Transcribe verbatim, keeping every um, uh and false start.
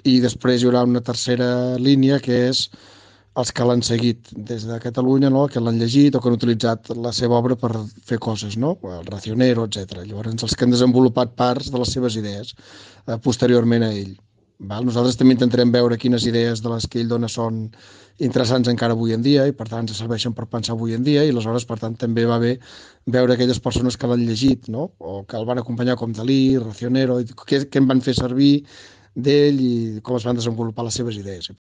i després hi haurà una tercera línia que és els que l'han seguit des de Catalunya, no? Que l'han llegit o que han utilitzat la seva obra per fer coses, no? El Racionero, etcètera. Llavors, els que han desenvolupat parts de les seves idees eh, posteriorment a ell. Val? Nosaltres també intentarem veure quines idees de les que ell dona són interessants encara avui en dia i per tant ens serveixen per pensar avui en dia i aleshores per tant també va bé veure aquelles persones que l'han llegit, no? O que el van acompanyar com Dalí, Racionero, què, què en van fer servir d'ell i com es van desenvolupar les seves idees.